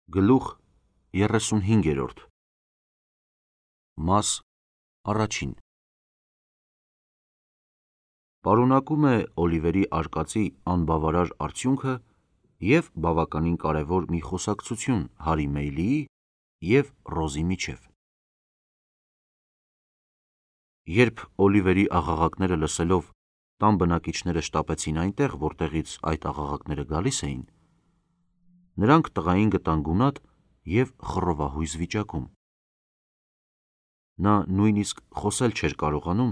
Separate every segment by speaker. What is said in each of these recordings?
Speaker 1: Գլուխ 35 Մաս առաջին Պարունակում է Օլիվերի արկածի անբավարար արդյունքը և բավականին կարևոր մի խոսակցություն Հարի Մեյլիի և Ռոզի միջև։ Երբ Օլիվերի աղաղակները լսելով տան բնակիչները շտապեցին այնտեղ, որտեղից այդ աղաղակները գալիս էին, նրանք տղային գտան գունատ և խռովահույզ վիճակում։ Նա նույնիսկ խոսել չէր կարողանում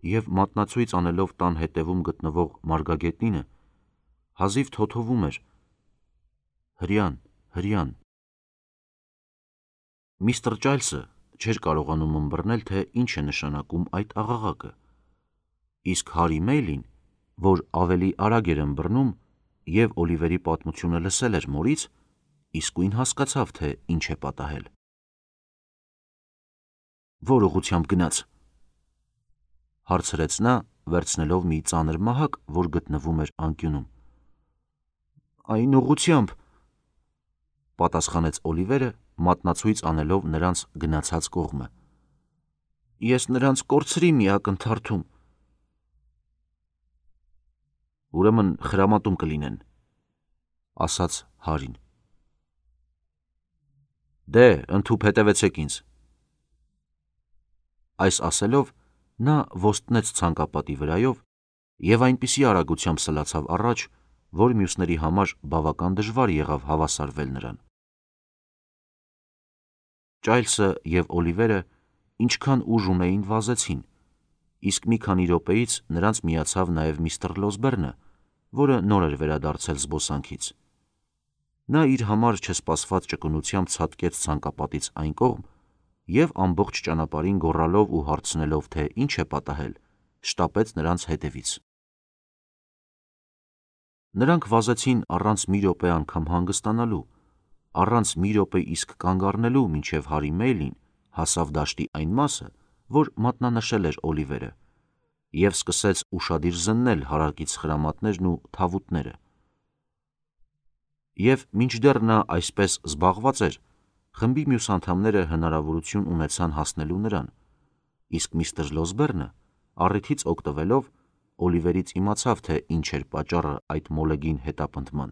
Speaker 1: և մատնացույց անելով տան հետևում գտնվող մարգագետնինը, հազիվ թոթովում էր. «Հրյան, հրյան»։ Միսթր Ճայլսը չէր կարողանում ըմբռնել, թե ինչ է նշանակում այդ աղաղակը, իսկ Հարի Մեյլին, որ ավելի արագ էր ըմբռնում և Օլիվերի պատմությունը լսել էր մորից, իսկույն հասկացավ, թե ինչ է պատահել։ «Ո՞ր ուղղությամբ գնաց», հարցրեց նա, վերցնելով մի ծանր մահակ, որ գտնվում էր անկյունում։ «Այն ուղղությամբ», պատասխանեց Օլիվերը, մատնացույց անելով նրանց գնացած կողմը։ «Ես նրանց կորցրի մի ակնթարթում»։ «Ուրեմն խրամատում կլինեն», ասաց Հարին։ «Դե, ընդհուպ հետևեցեք ինձ»։ Այս ասելով նա ոստնեց ցանկապատի վրայով և այնպիսի արագությամբ սլացավ առաջ, որ մյուսների համար բավական դժվար եղավ հավասարվել նրան։ Ճայլսը և Օլիվերը ինչքան ուժ ունեին վազեցին, իսկ մի քանի րոպեից նրանց միացավ նաև միստր Լոսբերնը, որը նոր էր վերադարձել զբոսանքից։ Նա իր համար չսպասված ճկունությամբ ցատկեց ցանկապատից այն կողմ և ամբողջ ճանապարհին գոռալով ու հարցնելով, թե ինչ է պատահել, շտապեց նրանց հետևից։ Նրանք վազեցին առանց մի րոպե անգամ հանգստանալու, առանց մի րոպե իսկ կանգ առնելու, մինչև Հարի Մեյլին հասավ դաշտի այն մասը, որ մատնանշել էր Օլիվերը, և սկսեց ուշադիր զննել հարակից խրամատներն ու թավուտները։ Եվ մինչդեռ նա այսպես զբաղված էր, խմբի մյուս անդամները հնարավորություն ունեցան հասնելու նրան, իսկ միստր Լոսբերնը, առիթից օգտվելով, Օլիվերից իմացավ, թե ինչ էր պատճառը այդ մոլեգին հետապնդման։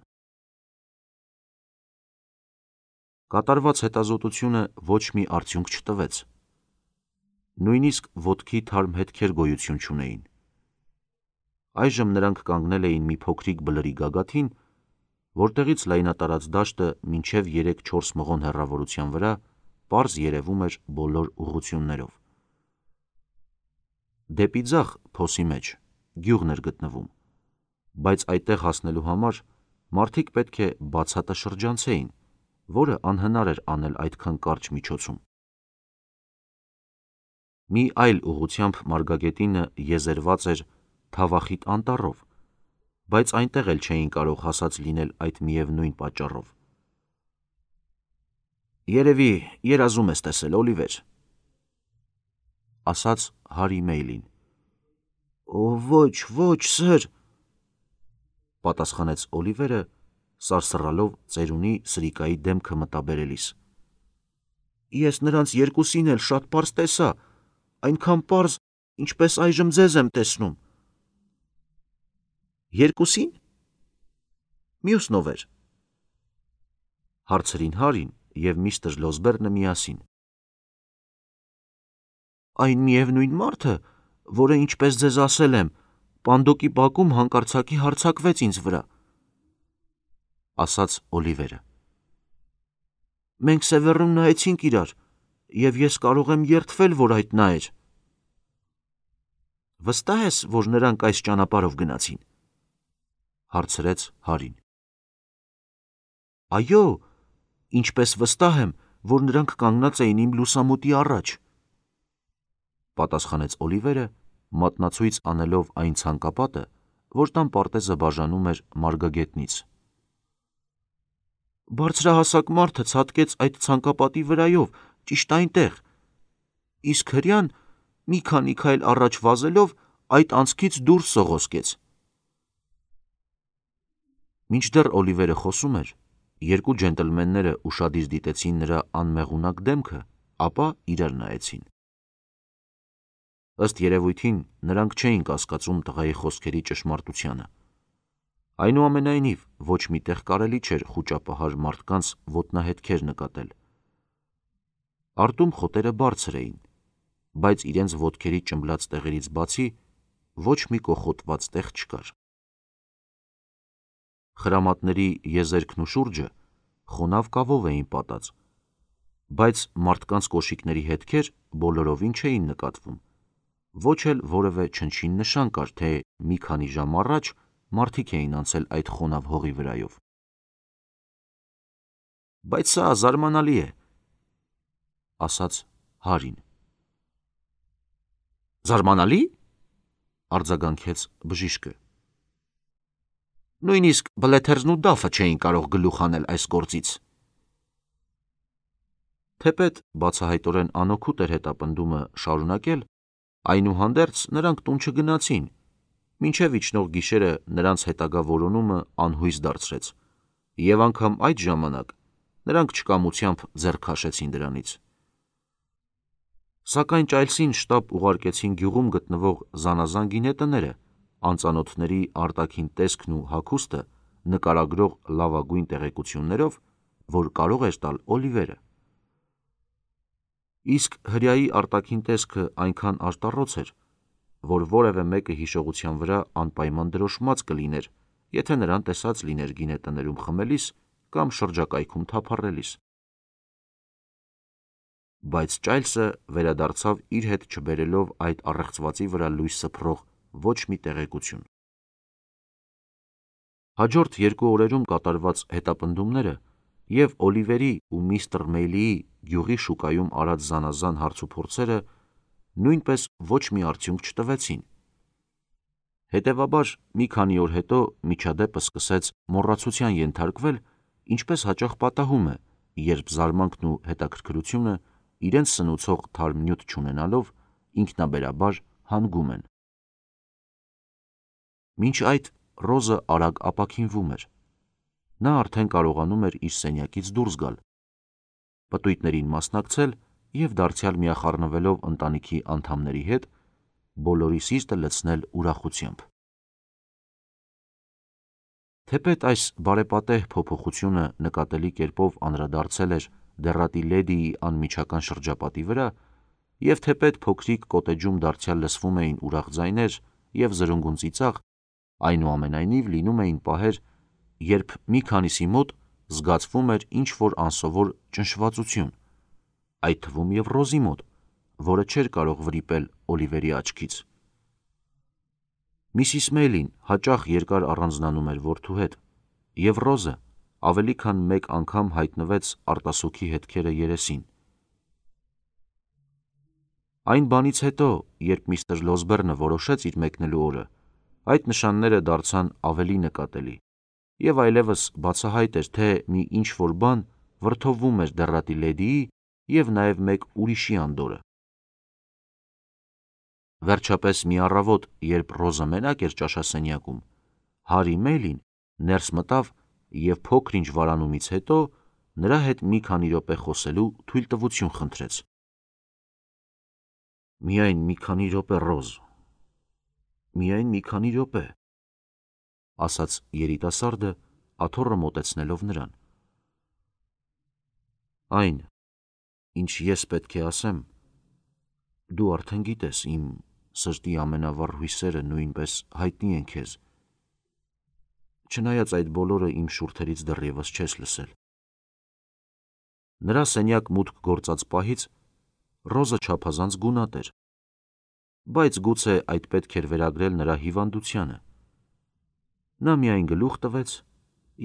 Speaker 1: Կատարված հետազոտությունը ոչ մի արդյունք չտվեց։ Նույնիսկ ոտքի թարմ հետքեր գոյություն չունեին։ Այժմ նրանք կանգնել էին մի փոքրիկ բլրի գագաթին, որտեղից լայնատարած դաշտը մինչև 3-4 մղոն հեռավորության վրա պարզ երևում էր բոլոր ուղղություններով։ Դեպի ձախ, փոսի մեջ, գյուղն էր գտնվում, բայց այդտեղ հասնելու համար մարդիկ պետք է բացատը շրջանցեին, որը անհնար էր անել այդքան կարճ միջոցում։ Մի այլ ուղղությամբ մարգագետինը եզերված էր թավախիտ անտառով, բայց այնտեղ էլ չէին կարող հասած լինել այդ միևնույն պատճառով։ «Երևի երազում ես տեսել, Օլիվեր», ասաց Հարի Մեյլին։ Ոչ, սըր, պատասխանեց Օլիվերը, սարսռալով ծերունի Սրիկայի դեմքը մտաբերելիս։ Ես նրանց երկուսին էլ շատ պարզ տեսա, այնքան պարզ, ինչպես այժմ ձեզ եմ տեսնում։ Երկուսի՞ն։ Մյուսն ով էր, հարցրին Հարին և միստր Լոսբերնը միասին։ Այն միևնույն մարդը, որը, ինչպես ձեզ ասել եմ, պանդոկի բակում հանկարծակի հարձակվեց ինձ վրա, ասաց Օլիվերը։ Մենք Սևեռում նայեցինք իրար, և ես կարող եմ երդվել, որ այդ նա էր։ Վստահ ես, որ նրանք այս ճանապարհով գնացին, հարցրեց Հարին։ Այո, ինչպես վստահ եմ, որ նրանք կանգնած էին իմ լուսամուտի առաջ, պատասխանեց Օլիվերը, մատնացույց անելով այն ցանկապատը, որ տան պարտեզը բաժանում էր մարգագետնից։ Բարձրահասակ մարդը ցատկեց այդ ցանկապատի վրայով, ճիշտ այնտեղ, իսկ հրյան մի քանի քայլ առաջ վազելով այդ անցքից դուրս սողոսկեց։ Մինչդեռ Օլիվերը խոսում էր, երկու ջենտլմենները ուշադիր դիտեցին նրա անմեղունակ դեմքը, ապա իրար նայեցին։ Ըստ երևույթին նրանք չէին կասկածում տղայի խոսքերի ճշմարտությանը։ Այնուամենայնիվ, ոչ մի տեղ կարելի չէր խուճապահար մարդկանց ոտնահետքեր նկատել։ Արտում խոտերը բարձր էին, բայց իրենց ոտքերի ճմբլած տեղերից բացի ոչ մի կոխոտված տեղ չկար։ Խրամատների եզերքն ու շուրջը խոնավ կավով էին պատած, բայց մարդկանց կոշիկների հետքեր բոլորովին չէին նկատվում, ոչ էլ որևէ չնչին նշան կար, թե մի քանի ժամ առաջ մարդիկ էին անցել այդ խոնավ հողի վրայով։ Բայց սա զարմանալի է, ասաց Հարին։ Զարմանալի՞, արձագանքեց բժիշկը։ Նույնիսկ բլեթերզն ու դաֆը չէին կարող գլուխ անել այս գործից։ Թեպետ բացահայտորեն անօգուտ էր հետապնդումը շարունակել, այնուհանդերձ նրանք տուն չգնացին, մինչև իջնող գիշերը նրանց հետագա որոնումը անհույս դարձրեց, և անգամ այդ ժամանակ նրանք չկամությամբ ձեռք քաշեցին դրանից։ Սակայն Ճայլսին շտապ ուղարկեցին գյուղում գտնվող զանազան գինետները, անծանոթների արտաքին տեսքն ու հագուստը նկարագրող լավագույն տեղեկություններով, որ կարող էր տալ Օլիվերը։ Իսկ հրեայի արտաքին տեսքը այնքան արտառոց էր, որ որևէ մեկը հիշողության վրա անպայման դրոշմած կլիներ, եթե նրան տեսած լիներ գինետներում խմելիս կամ շրջակայքում թափառելիս։ Բայց Ճայլսը վերադարձավ իր հետ չբերելով այդ առեղծվածի վրա լույս սփռող ոչ մի տեղեկություն։ Հաջորդ 2 օրերում կատարված հետապնդումները և Օլիվերի ու միստր Մեյլիի գյուղի շուկայում արած զանազան հարցուփորձերը նույնպես ոչ մի արդյունք չտվեցին։ Հետևաբար մի քանի օր հետո միջադեպը սկսեց մոռացության ենթարկվել, ինչպես հաճախ պատահում է, երբ զարմանքն ու հետաքրքրությունը իրենց սնուցող թարմ նյութ չունենալով ինքնաբերաբար հանգում են։ Մինչ այդ Ռոզը արագ ապաքինվում էր։ Նա արդեն կարողանում էր իր սենյակից դուրս գալ, պտույտներին մասնակցել և դարձյալ միախառնվելով ընտանիքի անդամների հետ, բոլորի սիրտը լցնել ուրախությամբ։ Թեպետ այս բարեպատեհ փոփոխությունը նկատելի կերպով անդրադարձել էր դեռատի լեդիի անմիջական շրջապատի վրա, և թեպետ փոքրիկ կոտեջում դարձյալ լսվում էին ուրախ ձայներ և զրնգուն ծիծաղ, այնուամենայնիվ լինում էին պահեր, երբ մի քանիսի մոտ զգացվում էր ինչ-որ անսովոր ճնշվածություն, այդ թվում և Ռոզի մոտ, որը չէր կարող վրիպել Օլիվերի աչքից։ Միսիս Մեյլին հաճախ երկար առանձնանում էր որդու հետ, և Ռոզը ավելի քան մեկ անգամ հայտնվեց արտասուքի հետքերը երեսին։ Այն բանից հետո, երբ միստր Լոսբերնը որոշեց իր մեկնելու օրը, այդ նշանները դարձան ավելի նկատելի, և այլևս բացահայտ էր, թե մի ինչ-որ բան վրդովվում էր դեռատի լեդիի և նաև մեկ ուրիշի անդորրը։ Վերջապես մի առավոտ, երբ Ռոզը մենակ էր ճաշասենյակում, Հարի Մեյլին ներս մտավ և փոքր-ինչ վարանումից հետո նրա հետ մի քանի րոպե խոսելու թույլտվություն խնդրեց։ «Միայն մի քանի րոպե, Ռոզ, միայն մի քանի րոպե», ասաց երիտասարդը, աթոռը մոտեցնելով նրան։ «Այն, ինչ ես պետք է ասեմ, դու արդեն գիտես, իմ սրտի ամենավառ հույսերը նույնպես հայտնի են քեզ, չնայած այդ բոլորը իմ շուրթերից դեռևս չես լսել»։ Նրա սենյակ մուտք գործած պահից Ռոզը չափազանց գունատ էր, բայց գուցե այդ պետք էր վերագրել նրա հիվանդությանը։ Նա միայն գլուխ տվեց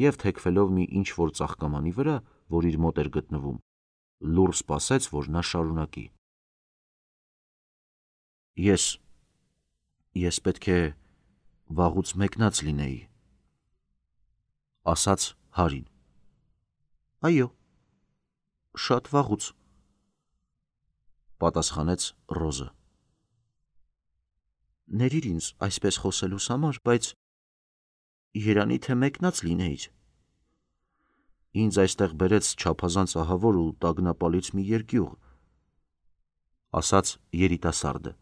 Speaker 1: և թեքվելով մի ինչ-որ ծաղկամանի վրա, որ իր մոտ էր գտնվում, լուռ սպասեց, որ նա շարունակի։ Ես պետք է վաղուց մեկնած լինեի, ասաց Հարին։ Այո, շատ վաղուց, պատասխանեց Ռոզը։ Ներիր ինձ այսպես խոսելուս համար, բայց երանի թե մեկնած լինեիր։ Ինձ այստեղ բերեց չափազանց ահավոր ու տագնապալից մի երկյուղ, ասաց երիտասարդը։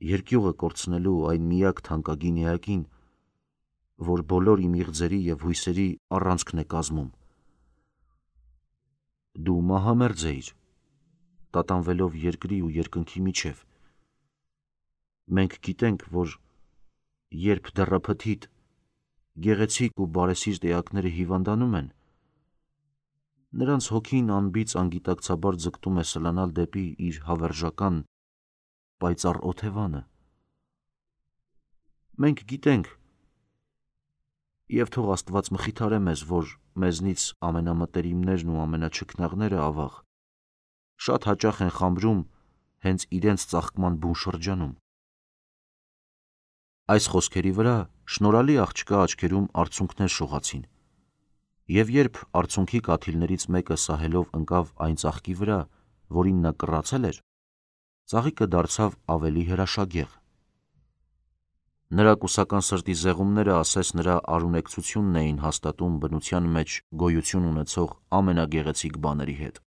Speaker 1: Երկյուղը կորցնելու այն միակ թանկագին էակին, որ բոլոր իմ իղձերի և հույսերի առանցքն է կազմում։ Դու մահամերձ էիր, տատանվելով երկրի ու երկնքի միջև։ Մենք գիտենք, որ երբ դեռափթիդ գեղեցիկ ու բարեսիրտ էակները հիվանդանում են, նրանց հոգին անբիծ անգիտակցաբար ձգտում է սլանալ դեպի իր հավերժական պայծառ օթևանը։ Մենք գիտենք, և թող Աստված մխիթարե մեզ, որ մեզնից ամենամտերիմներն ու ամենաչքնաղները, ավաղ, շատ հաճախ են խամրում հենց իրենց ծաղկման բուն շրջանում։ Այս խոսքերի վրա շնորհալի աղջկա աչքերում արցունքներ շողացին, և երբ արցունքի կաթիլներից մեկը սահելով ընկավ այն ծաղկի վրա, որին նա կռացել էր, ծաղիկը դարձավ ավելի հրաշագեղ։ Նրա կուսական սրտի զեղումները ասես նրա արունեկցությունն էին հաստատում բնության մեջ գոյություն ունեցող ամենագեղեցիկ բաների հետ։